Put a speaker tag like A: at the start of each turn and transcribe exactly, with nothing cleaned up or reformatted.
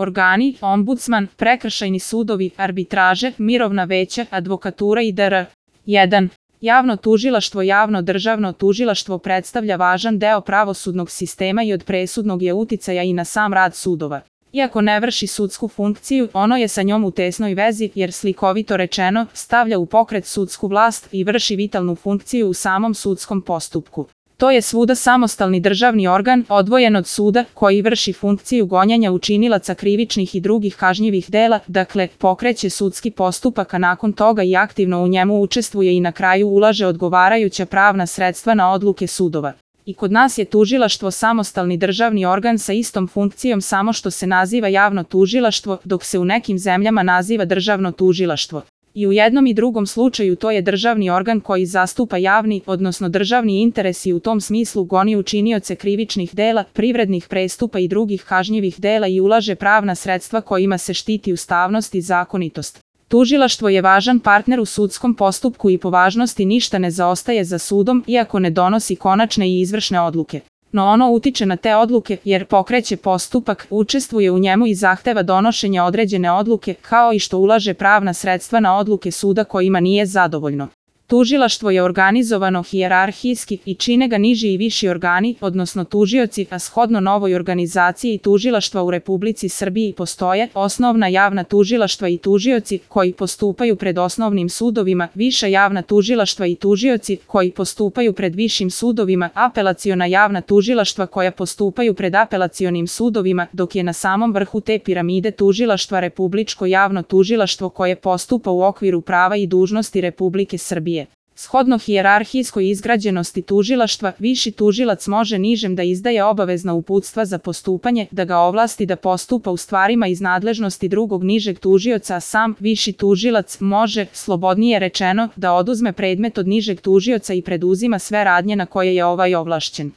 A: organi, ombudsman, prekršajni sudovi, arbitraže, mirovna veća, advokatura i dr. jedan. Javno tužilaštvo. Javno državno tužilaštvo predstavlja važan deo pravosudnog sistema i od presudnog je uticaja i na sam rad sudova. Iako ne vrši sudsku funkciju, ono je sa njom u tesnoj vezi jer, slikovito rečeno, stavlja u pokret sudsku vlast i vrši vitalnu funkciju u samom sudskom postupku. To je svuda samostalni državni organ, odvojen od suda, koji vrši funkciju gonjenja učinilaca krivičnih i drugih kažnjivih dela, dakle, pokreće sudski postupak, a nakon toga i aktivno u njemu učestvuje i na kraju ulaže odgovarajuća pravna sredstva na odluke sudova. I kod nas je tužilaštvo samostalni državni organ sa istom funkcijom, samo što se naziva javno tužilaštvo, dok se u nekim zemljama naziva državno tužilaštvo. I u jednom i drugom slučaju to je državni organ koji zastupa javni, odnosno državni interes i u tom smislu goni učinioce krivičnih dela, privrednih prestupa i drugih kažnjivih dela i ulaže pravna sredstva kojima se štiti ustavnost i zakonitost. Tužilaštvo je važan partner u sudskom postupku i po važnosti ništa ne zaostaje za sudom, iako ne donosi konačne i izvršne odluke. No ono utiče na te odluke jer pokreće postupak, učestvuje u njemu i zahteva donošenje određene odluke, kao i što ulaže pravna sredstva na odluke suda kojima nije zadovoljno. Tužilaštvo je organizovano hijerarhijski i čine ga niži i viši organi, odnosno tužioci, a shodno novoj organizaciji tužilaštva u Republici Srbiji postoje osnovna javna tužilaštva i tužioci koji postupaju pred osnovnim sudovima, viša javna tužilaštva i tužioci koji postupaju pred višim sudovima, apelaciona javna tužilaštva koja postupaju pred apelacionim sudovima, dok je na samom vrhu te piramide tužilaštva Republičko javno tužilaštvo koje postupa u okviru prava i dužnosti Republike Srbije. Shodno hijerarhijskoj izgrađenosti tužilaštva, viši tužilac može nižem da izdaje obavezna uputstva za postupanje, da ga ovlasti da postupa u stvarima iz nadležnosti drugog nižeg tužioca, a sam viši tužilac može, slobodnije rečeno, da oduzme predmet od nižeg tužioca i preduzima sve radnje na koje je ovaj ovlašćen.